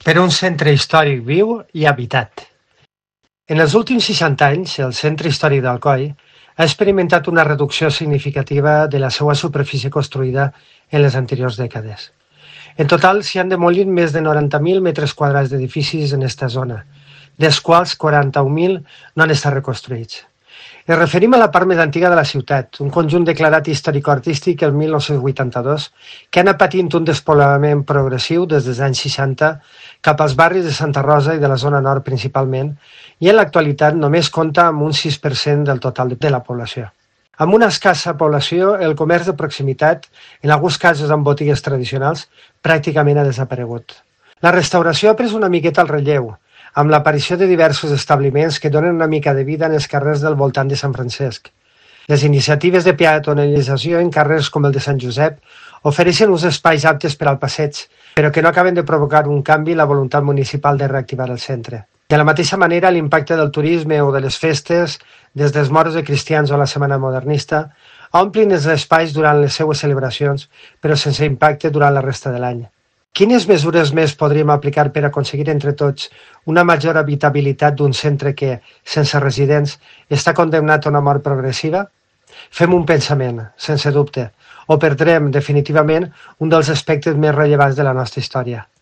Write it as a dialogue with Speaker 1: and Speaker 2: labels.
Speaker 1: per un centre històric viu i habitat. En els últims 60 anys, el centre històric d'Alcoi ha experimentat una reducció significativa de la seva superfície construïda en les anteriors dècades. En total, s'hi han demolit més de 90.000 metres quadrats d'edificis en aquesta zona, dels quals 41.000 no han estat reconstruïts. Ens referim a la part més antiga de la ciutat, un conjunt declarat històrico-artístic el 1982, que ha anat patint un despoblament progressiu des dels anys 60 cap als barris de Santa Rosa i de la zona nord principalment, i en l'actualitat només compta amb un 6% del total de la població. Amb una escassa població, el comerç de proximitat, en alguns casos amb botigues tradicionals, pràcticament ha desaparegut. La restauració ha pres una miqueta al relleu, amb l'aparició de diversos establiments que donen una mica de vida en els carrers del voltant de Sant Francesc. Les iniciatives de peatonalització en carrers com el de Sant Josep ofereixen uns espais aptes per al passeig, però que no acaben de provocar un canvi en la voluntat municipal de reactivar el centre. De la mateixa manera, l'impacte del turisme o de les festes, des dels moros de cristians o la Setmana Modernista, omplin els espais durant les seues celebracions, però sense impacte durant la resta de l'any. Quines mesures més podríem aplicar per aconseguir entre tots una major habitabilitat d'un centre que, sense residents, està condemnat a una mort progressiva? Fem un pensament, sense dubte, o perdrem definitivament un dels aspectes més rellevants de la nostra història.